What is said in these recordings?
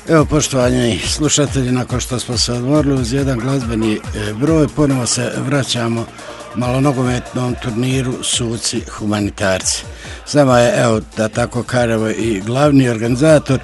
Evo, poštovani slušatelji, nakon što smo se odmorili uz jedan glazbeni broj, ponovo se vraćamo malonogometnom turniru Suci humanitarci. S nama je, evo, da tako kažemo, i glavni organizator,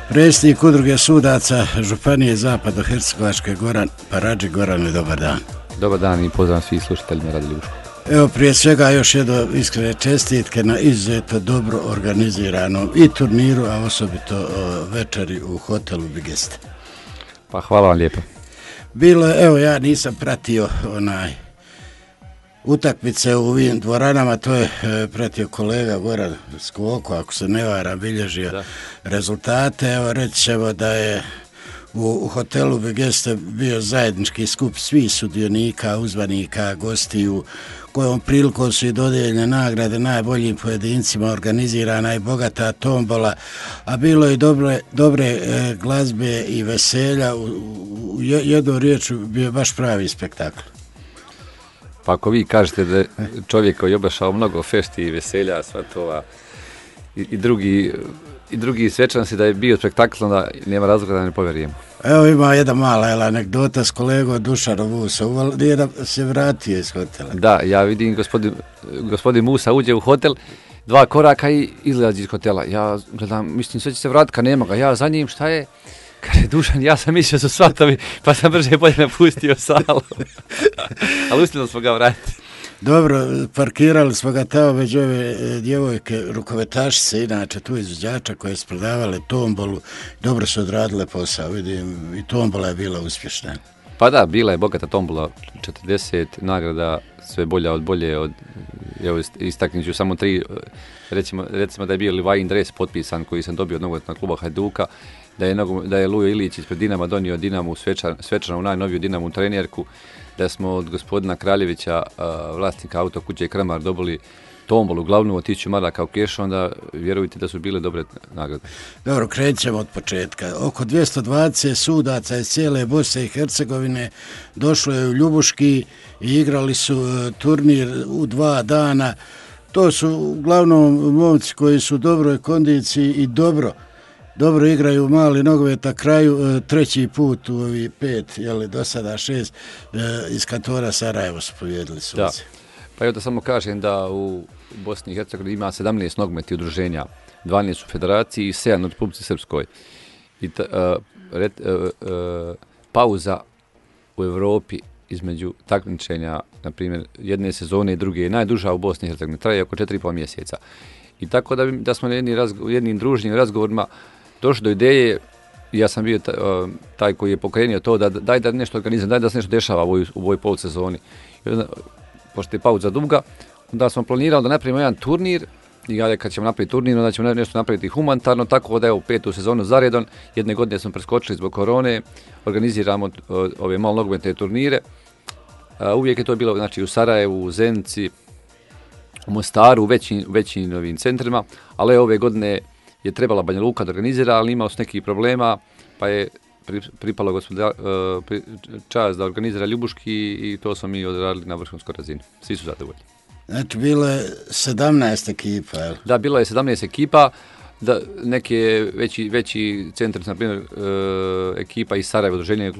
predsjednik udruge sudaca Županije Zapadno-Hercegovačke Goran Paradžik. Goran, dobar dan. Dobar dan i pozdrav svih slušateljima Radi Ljubuško. Evo, prije svega još jedno iskrene čestitke na izuzetno dobro organiziranom i turniru, a osobito večeri u hotelu Bigeste. Pa hvala vam lijepo. Bilo je, evo, ja nisam pratio utakmice u ovim dvoranama, to je pratio kolega Goran Skoko, ako se ne varam, bilježio rezultate. Evo, reći ćemo da je u hotelu Bigeste bio zajednički skup svih sudionika, uzvanika, gostiju, kojom prilikom su i dodijeljene nagrade najboljim pojedincima, organizirana i bogata tombola, a bilo je dobre glazbe i veselja. U jednom riječu bio baš pravi spektakl. Pa ako vi kažete da čovjek koji je obašao mnogo fešti i veselja, svatova i drugi svečanosti, da je bio spektakl, onda nema razloga da ne povjerujemo. Evo, ima jedna mala anegdota s kolegom Dušanom Musom, nije se vratio iz hotela. Da, ja vidim gospodin Musa uđe u hotel, 2 koraka i izlazi iz hotela. Ja gledam, mislim, sve će se vratiti, kad nema ga. Ja za njim, šta je? Kaže, Dušan, ja sam mislio su svatovi, pa sam brže bolje napustio salu. Ali uspjeli smo ga vratiti. Dobro, parkirali smo ga tamo među ove djevojke, rukometašice, inače tu izvođača koje su prodavale tombolu. Dobro su odradile posao, vidim, i tombola je bila uspješna. Pa da, bila je bogata tombola, 40 nagrada, sve bolja od bolje. Evo, istaknut ću samo 3, recimo da je bio Livajin dres potpisan koji sam dobio od nogometnog kluba Hajduka, da je Lujo Ilić ispred Dinama donio Dinamu svečanu najnoviju Dinamu trenerku, da smo od gospodina Kraljevića, vlasnika autokuće Kramar, dobili tombolu glavnu od 1000 maraka u kešu, onda vjerujte da su bile dobre nagrade. Dobro, krećemo od početka. Oko 220 sudaca iz cijele Bosne i Hercegovine došlo je u Ljubuški i igrali su turnir u 2 dana. To su uglavnom momci koji su u dobroj kondiciji i dobro igraju mali nogomet. Na kraju 3. put u ovi 5, do sada 6 iz kantora Sarajevo su pobijedili suci. Da. Pa evo da samo kažem da u Bosni i Hercegovini ima 17 nogometnih udruženja, 12 u federaciji i 7 u Republici Srpskoj. I pauza u Europi između takmičenja, na primjer, jedne sezone i druge je najduža u Bosni i Hercegovini, traje oko 4,5 mjeseca. I tako da smo na jednim druženim razgovorima došli do ideje, ja sam bio taj koji je pokrenio to, da daj da nešto organizam, daj da se nešto dešava u ovoj polusezoni. I onda, pošto je pauza duga, onda smo planirali da napravimo jedan turnir, i kad ćemo napraviti turnir, onda ćemo nešto napraviti humanitarno, tako da je u 5. sezonu zaredom, jedne godine smo preskočili zbog korone, organiziramo ove malo nogometne turnire. Uvijek je to bilo, znači, u Sarajevu, u Zenici, u Mostaru, u većim novim centrima, ali ove godine je trebala Banja Luka da organizira, ali imao su nekih problema, pa je pripalo čast da organizira Ljubuški i to smo mi odradili na vrhunskoj razini. Svi su zadovoljni. Znači, bilo je 17 ekipa, jel? Da, bilo je 17 ekipa, da neke veći centri, na primjer ekipa iz Sarajeva, udruženje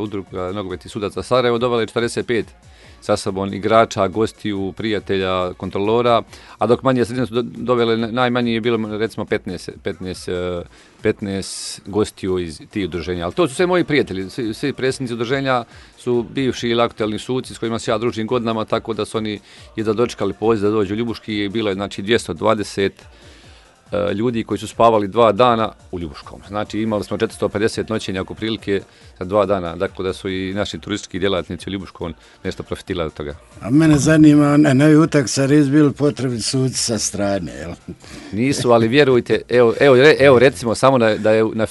udruga nogometnih sudaca Sarajevo, dovela je 45 sa sobom igrača, gostiju, prijatelja, kontrolora, a dok manje sredine su dovele, najmanje je bilo recimo 15 gostiju iz tih udruženja. Ali to su sve moji prijatelji, svi predsjednici udruženja su bivši ili aktualni suci s kojima se ja družim godinama, tako da su oni jedva dočekali poziv da dođu u Ljubuški i bilo je, znači, 220 ljudi koji su spavali 2 dana u Ljubuškom. Znači, imali smo 450 noćenja oko prilike za 2 dana, dakle da su i naši turistički djelatnici u Ljubuškom nešto profitirali od toga. A mene zanima, novi utakmica res bili potrebni suci sa strane, jel? Nisu, ali vjerujte, evo recimo samo da je na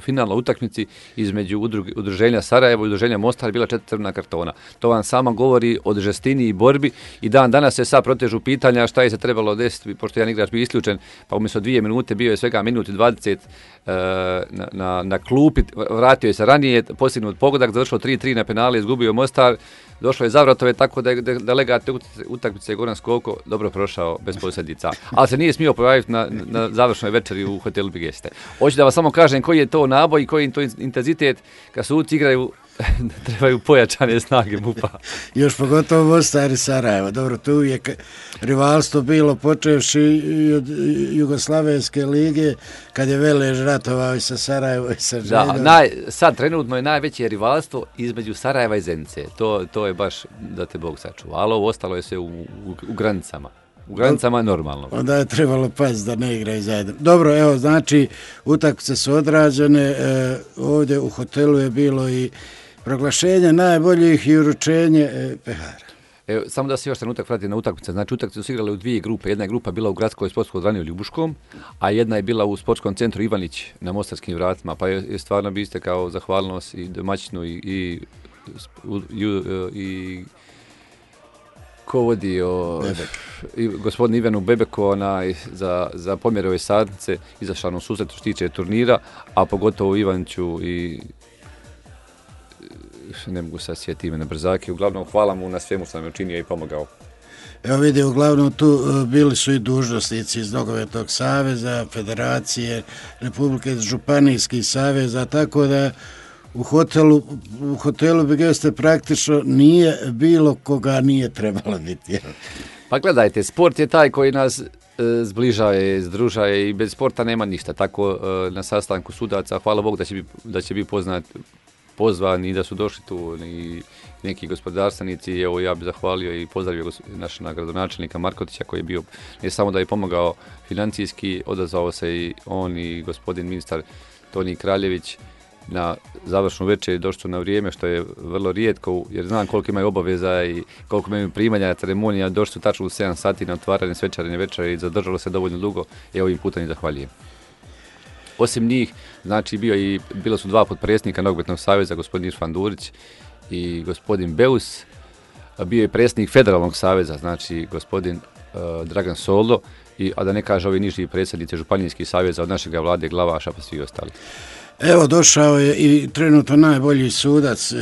finalnoj utakmici između udruženja Sarajevo i udruženja Mostar bila 4 crvena kartona. To vam samo govori o žestini i borbi i dan danas se sad protežu pitanja šta je se trebalo desiti, pošto jedan igrač bio isključen, pa umjesto 2 minute bio je svega minut i 20 na klupi, vratio je se ranije, postignut pogodak, završilo 3-3 na penale, izgubio Mostar, došlo je Zavratove, tako da je delegat utakmice Goran Skoko dobro prošao bez posljedica. Ali se nije smio pojaviti na završnoj večeri u hotelu Bigeste. Hoću da vam samo kažem koji je to naboj i koji je to intenzitet kad suci igraju, trebaju pojačane snage MUP-a. Još pogotovo Mostar i Sarajevo. Dobro, tu uvijek rivalstvo bilo počevši i od Jugoslavenske lige, kad je Velež ratovao i sa Sarajevo i sa Željom. Da, sad trenutno je najveće rivalstvo između Sarajeva i Zenice. To je baš da te Bog sačuva. Ali ovo ostalo je sve u granicama. U granicama je normalno. Onda je trebalo paziti da ne igraju zajedno. Dobro, evo, znači, utakmice su odrađene. Ovdje u hotelu je bilo i proglašenje najboljih i uručenje pehara. Evo, samo da se još trenutak vrati na utakmice. Znači, utakmice su igrale u 2 grupe. Jedna je grupa bila u gradskoj sportskoj dvorani u Ljubuškom, a jedna je bila u sportskom centru Ivanić na Mostarskim vratima. Pa je stvarno biste kao zahvalnost i domaćinu i ko vodi i gospodin Ivanu Bebeku za pomjere ove sadnice izašao nam susret što tiče turnira, a pogotovo Ivaniću i ne mogu sad sjetiti ime na brzake. Uglavnom, hvala mu na svemu što nam je učinio i pomogao. Evo vidi, uglavnom tu bili su i dužnosnici iz Nogometnog saveza, Federacije, Republike, Županijskih saveza, tako da u hotelu Bigeste praktično nije bilo koga nije trebalo biti. Pa gledajte, sport je taj koji nas zbližaje, združaje i bez sporta nema ništa. Tako na sastanku sudaca, hvala Bogu da će biti pozvani i da su došli tu i neki gospodarstvenici. Evo, ja bih zahvalio i pozdravio našeg gradonačelnika Markotića koji je bio, ne samo da je pomogao financijski, odazvao se i on i gospodin ministar Toni Kraljević na završnu večer, došli su na vrijeme, što je vrlo rijetko, jer znam koliko imaju obaveza i koliko imaju primanja ceremonija, došli su tačno u 7 sati na otvaranje svečarne večere i zadržalo se dovoljno dugo, i ovim putem i zahvaljujem. Osim njih, znači bilo su 2 potpredsjednika Nogometnog saveza, gospodin Irfan Durić i gospodin Beus, bio je predsjednik Federalnog saveza, znači gospodin Dragan Soldo, a da ne kaže ovi niži predsjednici Županijskih saveza od našega Vlade Glavaša pa svi ostali. Evo, došao je i trenutno najbolji sudac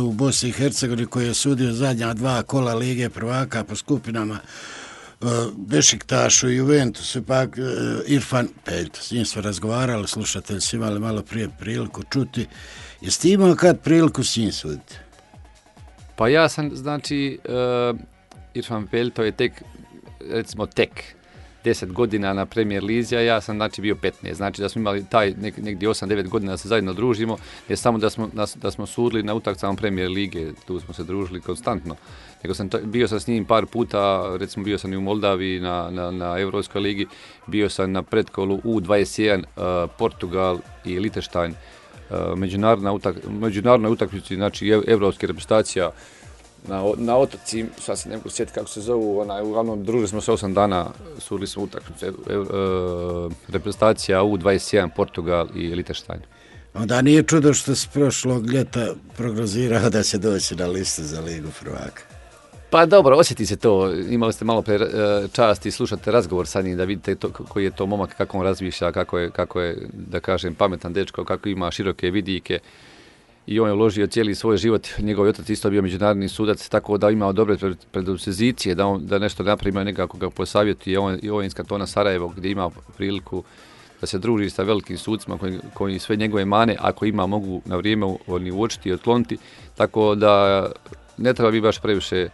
u Bosni i Hercegovini koji je sudio zadnja 2 kola Lige prvaka po skupinama Bešiktašu i Juventusu, pak Irfan Peljto. S njim smo razgovarali, slušatelji su imali malo prije priliku čuti. Jeste imao kad priliku s njim suditi? Pa ja sam, znači, Irfan Peljto je tek 10 godina na Premier Lizi, a ja sam znači bio 15. Znači da smo imali taj negdje 8-9 godina da se zajedno družimo, ne samo da smo sudili na utakmicama Premier Lige, tu smo se družili konstantno, nego bio sam s njim par puta, recimo bio sam i u Moldaviji na Europskoj ligi, bio sam na pretkolu U21 Portugal i Liechtenstein, međunarodnoj utakmici, znači evropske reprezentacija na otoci, sad se ne mogu sjetiti kako se zovu, uglavnom družili smo se 8 dana, sudili smo utakmice, reprezentacija U21 Portugal i Liechtenstein. Onda nije čudo što se prošlog ljeta prognozirao da će doći na listu za Ligu prvaka. Pa dobro, osjeti se to. Imali ste malo pre časti slušate razgovor sa njim da vidite koji je to momak, kako on razmišlja, kako je, da kažem, pametan dečko, kako ima široke vidike. I on je uložio cijeli svoj život, njegov otac isto bio međunarodni sudac, tako da imao dobre predispozicije, da nešto napravi, nekako ga posavjeti. I on iz kantona Sarajevo, gdje ima priliku da se druži sa velikim sucima koji sve njegove mane, ako ima, mogu na vrijeme uočiti i otkloniti, tako da ne treba biti baš previše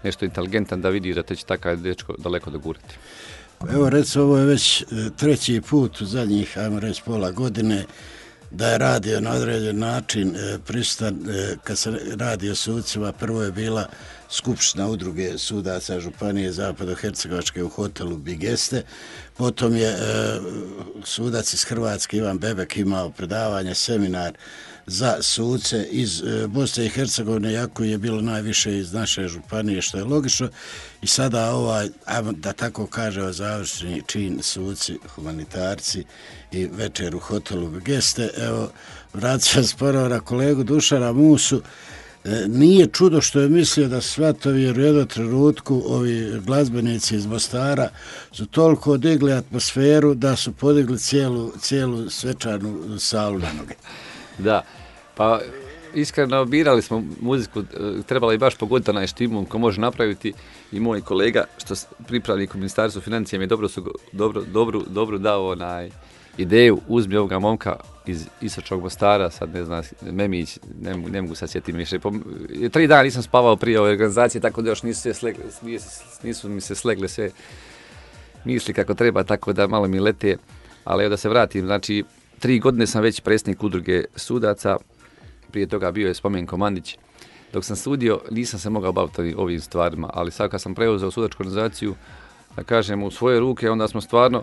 nešto inteligentan da vidi da će takav dečko daleko dogurati. Evo, recimo, ovo je već 3. put u zadnjih, ajmo reći, pola godine da je radio na određen način prisutan kad se radi o sucima. Prvo je bila skupština udruge sudaca Županije Zapadno-Hercegovačke u hotelu Bigeste, potom je sudac iz Hrvatske Ivan Bebek imao predavanje, seminar za suce iz Bosne i Hercegovine, jako je bilo najviše iz naše županije, što je logično. I sada da tako kaže, završni čin suci, humanitarci i večer u hotelu Bigeste. Evo, vraćam sporo na kolegu Dušana Musu. Nije čudo što je mislio da svatovi, jer u jednom trenutku ovi glazbenici iz Mostara su toliko digli atmosferu da su podigli cijelu svečanu salu na noge. Da, pa iskreno birali smo muziku, trebalo je baš pogoditi onaj štimul ko može napraviti i moj kolega, što pripravnik u Ministarstvu financija mi je dobro dao onaj ideju, uzmi ovoga momka iz Istočnog Mostara, sad ne znam, Memić, ne mogu sad sjetiti više. 3 dana nisam spavao prije ove organizacije, tako da još nisu mi se slegle sve misli kako treba, tako da malo mi lete. Ali evo da se vratim, znači 3 godine sam već predsjednik udruge sudaca, prije toga bio je Spomenko Mandić. Dok sam sudio, nisam se mogao baviti ovim stvarima, ali sad kad sam preuzeo sudačku organizaciju, da kažem, u svoje ruke, onda smo stvarno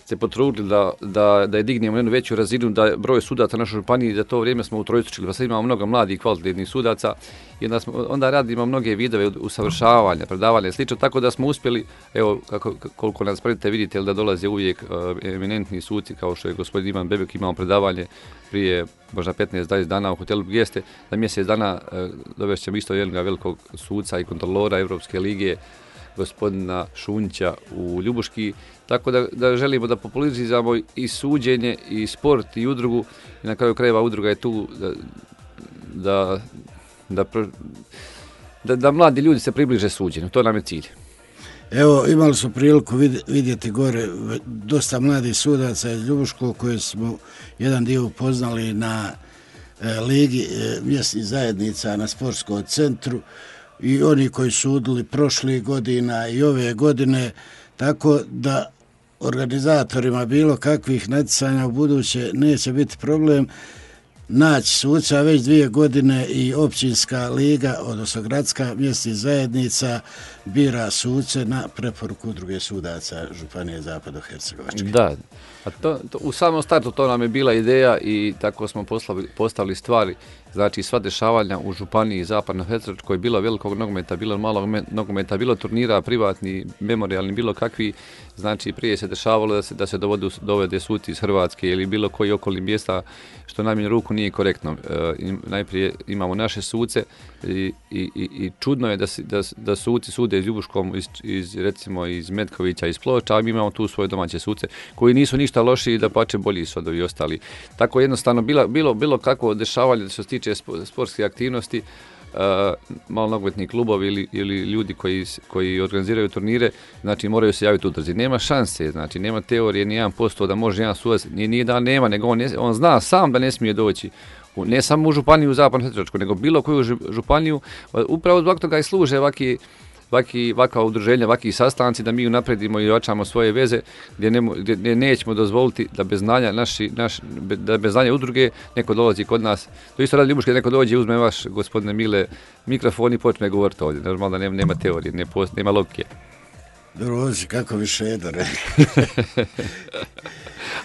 se potrudili da je dignemo jednu veću razinu, da broj sudaca na našoj županiji, za to vrijeme smo utrostručili, pa sad imamo mnogo mladih i kvalitetnih sudaca i onda radimo mnoge vidove usavršavanja, predavanja i slično, tako da smo uspjeli, evo koliko nas pratite vidite da dolaze uvijek eminentni suci kao što je gospodin Ivan Bebek, imamo predavanje prije možda 15-20 dana u hotelu Bigeste, za mjesec dana dovešćemo isto jednog velikog suca i kontrolora Europske lige, gospodina Šunća u Ljubuški, tako da želimo da populariziramo i suđenje i sport i udrugu i na kraju krajeva udruga je tu da mladi ljudi se približe suđenju, to nam je cilj. Evo, imali smo priliku vidjeti gore dosta mladih sudaca iz Ljubuškog koje smo jedan dio upoznali na ligi mjesnih zajednica na sportskom centru i oni koji su sudili prošlih godina i ove godine, tako da organizatorima bilo kakvih natjecanja u buduće neće biti problem naći suca. Već 2 godine i općinska liga, odnosno gradska mjesnih zajednica bira suce na preporuku udruge sudaca Županije Zapadno-Hercegovačke. Da, a to, u samom startu to nam je bila ideja i tako smo postavili stvari. Znači sva dešavanja u Županiji Zapadno-Hercegovačkoj, bilo velikog nogometa, bilo malog nogometa, bilo turnira privatni, memorijalni, bilo kakvi. Znači prije se dešavalo da se dovede suci iz Hrvatske ili bilo koji okolni mjesta, što najmanju ruku nije korektno. Najprije imamo naše suce i čudno je da suci sude iz Ljubuškom, recimo iz Metkovića, iz Ploča, a mi imamo tu svoje domaće suce koji nisu ništa lošiji, da pače bolji su od ovi ostali. Tako jednostavno bilo kakvo dešavanje da se tiče sportske aktivnosti, malo nogometni klubovi ili ljudi koji organiziraju turnire, znači moraju se javiti udruzi. Nema šanse, znači nema teorije ni 1% da može jedan sudac, nije da nema, nego on zna sam da ne smije doći. Ne samo u Županiju Zapadno-Hercegovačku, nego bilo koju županiju, upravo zbog toga i služe ovakva udruženja, ovakvi sastanci, da mi unapredimo i ojačamo svoje veze, gdje nećemo dozvoliti da bez znanja da bez znanja udruge neko dolazi kod nas. To isto radi Ljubuške, neko dođe, uzme vaš, gospodine Mile, mikrofon i počne govoriti ovdje. Normalno da nema teorije, nema logike. Dobro, kako bi Šedo rekao.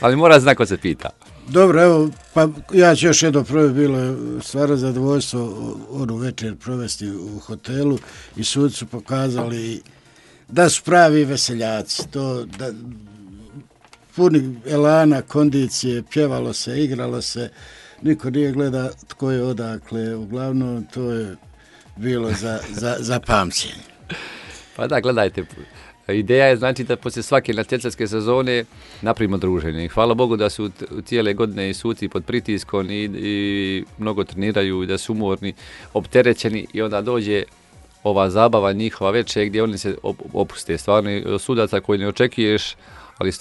Ali mora znati ko se pita. Dobro, evo, pa ja ću još jedno bilo je stvarno zadovoljstvo onu večer provesti u hotelu i suci su pokazali da su pravi veseljaci, to da puni elana, kondicije, pjevalo se, igralo se, niko nije gleda tko je odakle, uglavnom to je bilo za pamćenje. Pa da, gledajte, ideja je znači da poslije svake natjecateljske sezone napravimo druženje. I hvala Bogu da su cijele godine i suci pod pritiskom i mnogo treniraju i da su umorni, opterećeni i onda dođe ova zabava njihova večer gdje oni se opuste. Stvarno sudaca koji ne očekuješ, ali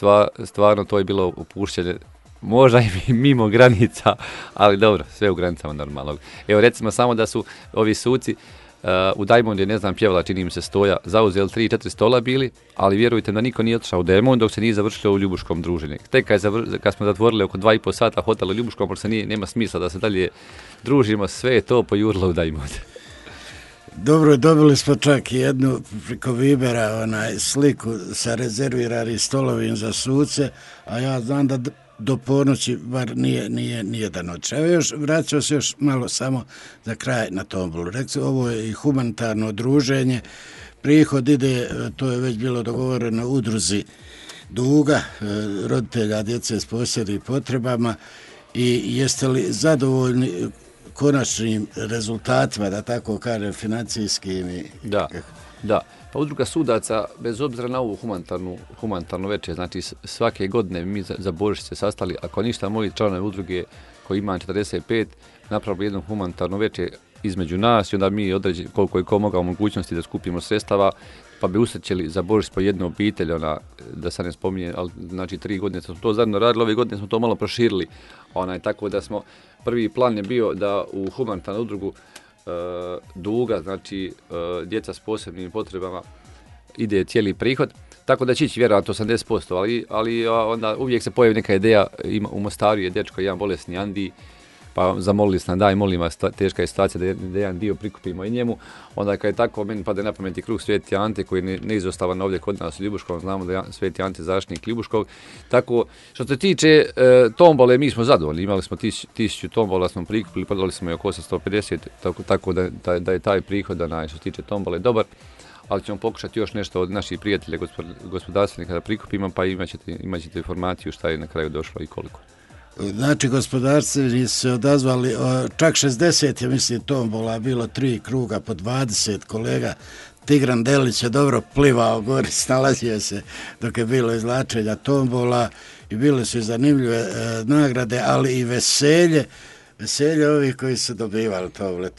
stvarno to je bilo opušćenje. Možda i mimo granica, ali dobro, sve u granicama normalnog. Evo recimo samo da su ovi suci u Diamond je, ne znam, pjevala, čini mi se Stoja, zauzeli 3-4 stola bili, ali vjerujte da niko nije otišao u Diamond dok se nije završilo u Ljubuškom druženje. Tek kad smo zatvorili oko 2,5 sata hotel u Ljubuškom, pošto nema smisla da se dalje družimo, sve je to pojurilo u Diamond. Dobro, dobili smo čak i jednu preko Vibera sliku sa rezerviranim stolovim za suce, a ja znam da do ponoći bar nije da noć. Evo vraćao se još malo samo za kraj na tombolu. Rekli, ovo je i humanitarno druženje. Prihod ide, to je već bilo dogovoreno, udruzi Duga, roditelja djece s posebnim potrebama. I jeste li zadovoljni konačnim rezultatima, da tako kažem, financijskim. Da. Pa udruga sudaca, bez obzira na ovu humanitarnu večer, znači svake godine mi za Božić se sastali, ako ništa, moji članovi udruge koji ima 45, napravili jednu humanitarnu večer između nas i onda mi određeni koliko je ko mogao mogućnosti da skupimo sredstava, pa bi usrećili za Božić po jednu obitelj, da sad ne spominje, ali znači 3 godine smo to zajedno radili, ove godine smo to malo proširili, tako da smo, prvi plan je bio da u humanitarnu udrugu duga, znači djeca s posebnim potrebama, ide cijeli prihod, tako da će ići vjerojatno 80%, ali onda uvijek se pojavi neka ideja, u Mostaru je dečko jedan bolesni Andi, pa zamolili smo, daj molim vas, teška je situacija da jedan dio prikupimo i njemu, onda kad je tako, meni pada na pameti krug Sveti Ante koji je neizostavan ovdje kod nas u Ljubuškovom, znamo da je Sveti Ante zaštitnik Ljubuškog, tako što se tiče tombole, mi smo zadovoljni, imali smo 1000 tombola, smo prikupili, prodali smo je oko 850, tako da je taj prihod što se tiče tombole dobar, ali ćemo pokušati još nešto od naših prijatelja gospodarstvenika da prikupimo, pa imat ćete informaciju šta je na kraju došlo i koliko. Znači, gospodarstveni se odazvali, čak 60 je, mislim, tombola, bilo 3 kruga po 20 kolega. Tigran Delić je dobro plivao gori, snalazio se dok je bilo izvlačenja tombola i bile su i zanimljive nagrade, ali i veselje ovih koji su dobivali tombole.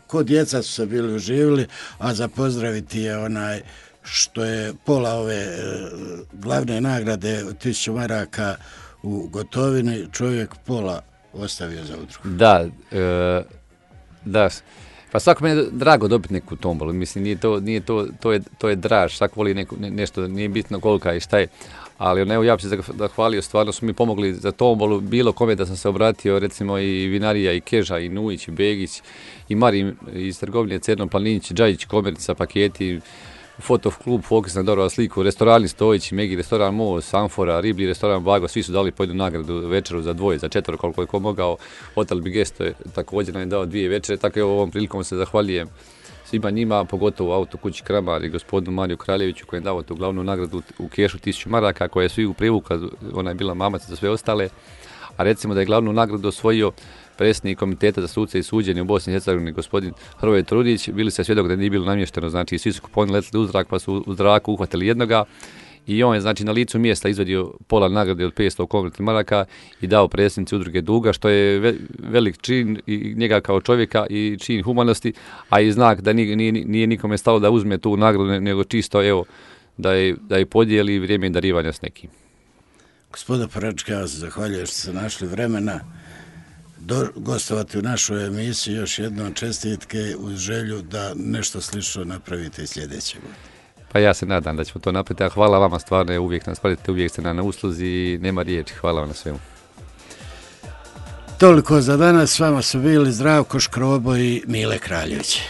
Ko djeca su se bili uživili, a za pozdraviti je što je pola ove glavne nagrade 1000 maraka u gotovini, čovjek pola ostavio za udrugu. Da. Pa svako meni je drago dobiti neku tombolu, mislim, to je draž, svako voli nešto, nije bitno kolika i šta je, ali evo ja bih se zahvalio, stvarno su mi pomogli za tombolu, bilo kome da sam se obratio, recimo i Vinarija, i Keža, i Nujić, i Begić, i Marin iz trgovine Cerno Planinić, Džajić, Komerca, paketi, Fotoklub Fokus na dobro sliku, restorani Stojić, Megi, restoran Most, Amfora, Riblji, restoran Bago, svi su dali po jednu nagradu večeru za 2, za 4, koliko je ko mogao. Hotel Bigesto je također nam je dao 2 večere, tako je ovom prilikom se zahvaljujem svima njima, pogotovo Autokući Kramar i gospodinu Mariju Kraljeviću koji je dao tu glavnu nagradu u kešu 1000 maraka, koja je svi u privukla, ona je bila mamac za sve ostale, a recimo da je glavnu nagradu osvojio predsjednik komiteta za suce i suđenje u Bosni i Hercegovini, gospodin Hrvoje Trudić, bili se svjedok da nije bilo namješteno, znači svi su kuponi letili u zrak, pa su u zraku uhvatili jednoga i on je znači na licu mjesta izvadio pola nagrade od 500 konvertnih maraka i dao predsjednici udruge Duga, što je velik čin i njega kao čovjeka i čin humanosti, a i znak da nije nikome stalo da uzme tu nagradu, nego čisto evo da je podijeli vrijeme darivanja s nekim. Gospodine Poračka, ja vam se zahvaljujem što ste našli vremena gostovati u našoj emisiji. Još jednom čestitke uz želju da nešto slično napravite i sljedeće godine. Pa ja se nadam da ćemo to napraviti, a hvala vama stvarno, uvijek nas pratite, uvijek ste na usluzi i nema riječi, hvala vam na svemu. Toliko za danas, s vama su bili Zdravko Škrobo i Mile Kraljević.